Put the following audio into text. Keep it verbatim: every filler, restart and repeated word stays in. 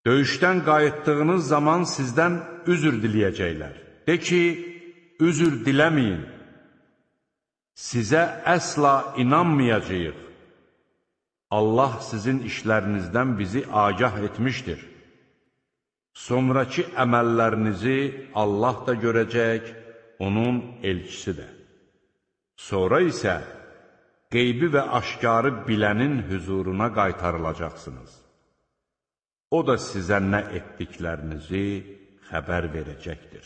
Döyüşdən qayıtdığınız zaman sizdən üzr diləyəcəklər. De ki, üzr diləməyin. Sizə əsla inanmayacağıq. Allah sizin işlərinizdən bizi agah etmişdir. Sonrakı əməllərinizi Allah da görəcək, onun elçisi də. Sonra isə qeybi və aşkarı bilənin hüzuruna qaytarılacaqsınız. O da sizə nə etdiklərinizi xəbər verəcəkdir.